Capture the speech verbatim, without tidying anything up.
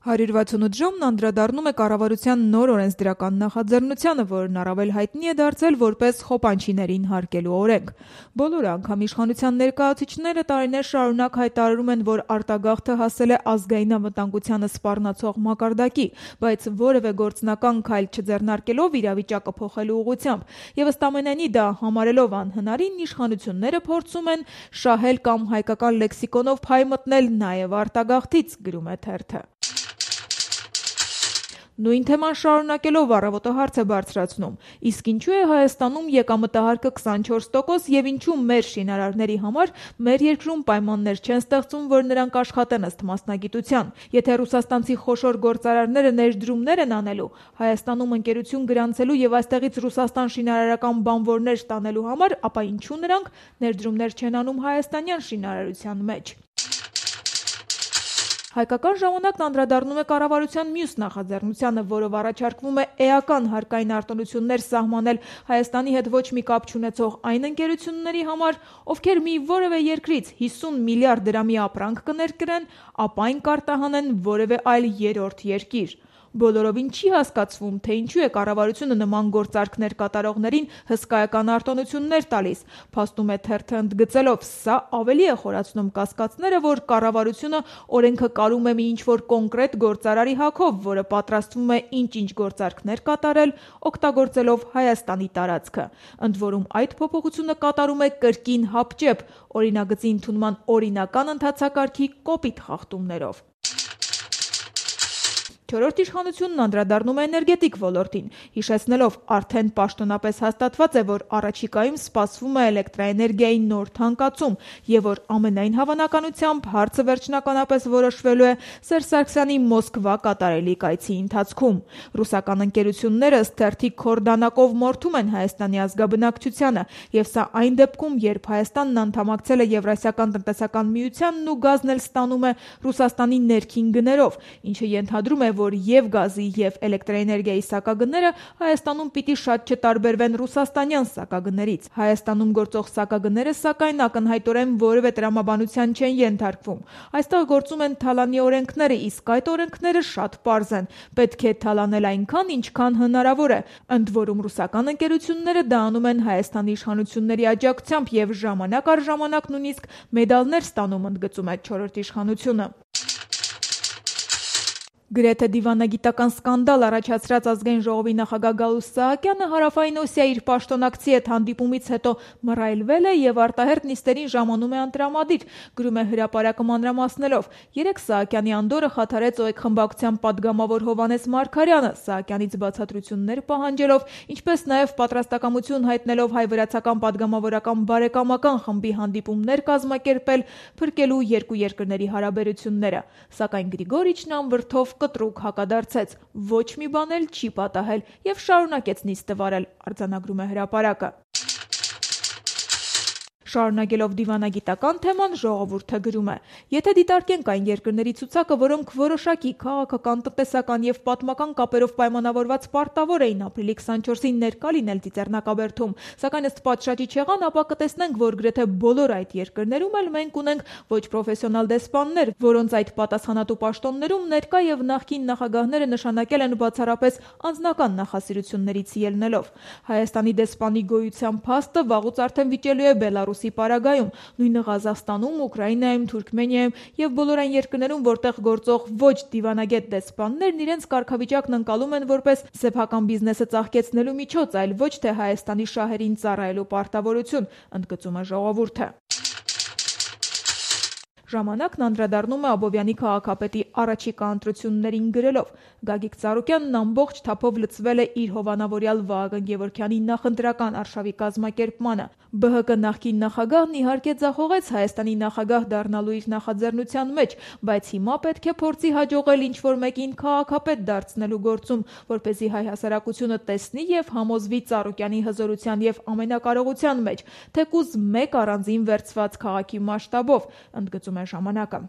հարյուր վաթսունութ ժամն անդրադառնում է կառավարության նոր օրենսդրական նախաձեռնությանը, որն առավել հայտնի է դարձել որպես խոպանչիներին հարկելու օրենք։ Բոլոր անգամ իշխանության ներկայացուցիչները տարիներ շարունակ հայտարարում են, որ արտագաղթը հասել է ազգային անվտանգությանը սպառնացող մակարդակի, բայց որևէ գործնական քայլ չձեռնարկելով իրավիճակը փոխելու ուղղությամբ, եւ ըստ ամենայնի դա համարելով անհնարին, իշխանությունները փորձում են շահել կամ հայկական լեքսիկոնով փայ մտնել նաեւ արտագաղթից, գրում է թերթը։ Նույն թեման շարունակելով առավոտը հարց է բարձրացնում. իսկ ինչու է Հայաստանում եկամտահարկը քսանչորս տոկոս եւ ինչու մեր շինարարների համար մեր երկրում պայմաններ չեն ստեղծում, որ նրանք աշխատեն ըստ մասնագիտության։ Եթե ռուսաստանցի խոշոր գործարարները ներդրումներ են անելու, Հայաստանում ընկերություն գրանցելու եւ այստեղից Ռուսաստան շինարարական բանվորներ ստանելու համար, ապա ինչու նրանք ներդրումներ չեն անում հայաստանյան շինարարության մեջ։ Հայկական ժամանակն անդրադառնում է կառավարության մյուս նախաձեռնությանը, որով առաջարկվում է էական հարկային արտոնություններ սահմանել Հայաստանի հետ ոչ մի կապ չունեցող այն ընկերությունների համար, ովքեր մի որևէ երկրից հիսուն միլիարդ դրամի ապրանք կներկրեն, ապա այն կարտահանեն որևէ այլ երրորդ երկիր։ Բոլորովին չի հասկացվում, թե ինչու է կառավարությունը նման գործարքներ կատարողներին հսկայական արտոնություններ տալիս, փաստում է թերթը ընդգծելով, սա ավելի է խորացնում կասկածները, որ կառավարությունը օրենքը կարում է մի ինչ-որ կոնկրետ գործարարի հագով, որը պատրաստվում է ինչ-ինչ գործարքներ կատարել, օգտագործելով Հայաստանի տարածքը։ Ընդ որում այդ փոփոխությունը կատարում է կրկին հապճեպ, օրինագծի ընդունման օրինական ընթացակարգի կոպիտ խախտումներով։ Չորրորդ իշխանությունն անդրադառնում է էներգետիկ ոլորտին, հիշեցնելով արդեն պաշտոնապես հաստատված է, որ առաջիկայում սպասվում է էլեկտրաէներգիայի նոր թանկացում եւ որ ամենայն հավանականությամբ հարցը վերջնականապես որոշվելու է Սերժ Սարգսյանի Մոսկվա կատարելի կայցի ընթացքում։ Ռուսական ընկերությունները ըստ թերթի քորդանակով մորթում են Հայաստանի ազգաբնակչությանը եւ սա այն դեպքում, երբ Հայաստանն անդամակցել է Եվրասիական տնտեսական միությանն ու գազն էլ ստանում է Ռուսաստանի ներքին գներով, ինչը ենթադրում է, որ եւ գազի եւ էլեկտրաէներգիայի սակագները Հայաստանում պիտի շատ չտարբերվեն ռուսաստանյան սակագներից։ Հայաստանում գործող սակագները սակայն ակնհայտորեն որևէ տրամաբանության չեն ենթարկվում։ Այստեղ գործում են թալանի օրենքները, իսկ այդ օրենքները շատ պարզ են։ Պետք է թալանել այնքան, ինչքան հնարավոր է։ Ընդ որում ռուսական ընկերությունները դա անում են Հայաստանի իշխանությունների աջակցությամբ եւ ժամանակ առ ժամանակ նույնիսկ մեդալներ ստանում, ընդգծում է չորրորդ իշխանությունը։ Գրեթե դիվանագիտական սկանդալ առաջացրած ազգային ժողովի նախագահ Գալուստ Սահակյանը Հարավային Օսիա իր պաշտոնակցի հետ հանդիպումից հետո մռայլվել է եւ արտահերթ նիստերին ժամանում է անտրամադիր, գրում է հրապարակը մանրամասնելով։ Երեկ Սահակյանի անդորը խաթարեց ՕԵԿ խմբակցության падգամավոր Հովհաննես Մարգարյանը, Սահակյանից բացատրություններ պահանջելով, ինչպես նաեւ պատրաստակամություն հայտնելով հայ-վրացական падգամավորական բարեկամական խմբի հանդիպումներ կազմակերպել, փրկելու երկու երկրների հարաբերությունները։ Սակայն Գրիգորիչն անվրդով կտրուկ հակադարձեց, ոչ մի բան էլ չի պատահել եւ շարունակեց նիստը վարել, արձանագրում է հրապարակը։ Շարունակելով դիվանագիտական թեման, Ժողովուրդը գրում է. եթե դիտարկենք այն երկրների ցուցակը, որոնք որոշակի քաղաքական, տնտեսական եւ պատմական կապերով պայմանավորված պարտավոր էին ապրիլի քսանչորսին ներկա լինել Ծիծեռնակաբերդում, սակայն ըստ պատշաճի չեղան, ապա կտեսնենք, որ գրեթե բոլոր այդ երկրներում էլ մենք ունենք ոչ պրոֆեսիոնալ դեսպաններ, որոնց այդ պատասխանատու պաշտոններում ներկա եւ նախկին նախագահները նշանակել են բացառապես անձնական նախասիրություններից ելնելով։ Հայաստանի դեսպանի գոյության փաստը վաղուց արդեն վիճելու է Բելարուսի Պարագայում, նույնը Ղազախստանում, Ուկրաինայում, Թուրքմենիայում եւ բոլոր այն երկրներում, որտեղ գործող ոչ դիվանագետ դեսպաններն իրենց կարգավիճակն ընկալում են որպես սեփական բիզնեսը ծաղկեցնելու միջոց, այլ ոչ թե Հայաստանի շահերին ծառայելու պարտավորություն, ընդգծում է Ժողովուրդը։ Ժամանակն անդրադառնում է Աբովյանի քաղաքապետի առաջիկա ընտրություններին գրելով. Գագիկ Ծառուկյանն ամբողջ թափով լծվել է իր հովանավորյալ Վահագն Գևորգյանի նախընտրական արշավի կազմակերպմանը։ ԲՀԿ նախկին նախագահն իհարկե ձախողեց Հայաստանի նախագահ դառնալու իր նախաձեռնության մեջ, բայց հիմա պետք է փորձի հաջողել ինչ-որ մեկին քաղաքապետ դարձնելու գործում, որպեսզի հայ հասարակությունը տեսնի եւ համոզվի Ծառուկյանի հզորության եւ ամենակարողության մեջ, թեկուզ մեկ առանձին վերցված քաղաքի մասշտաբով, ընդգծում է ժամանակը։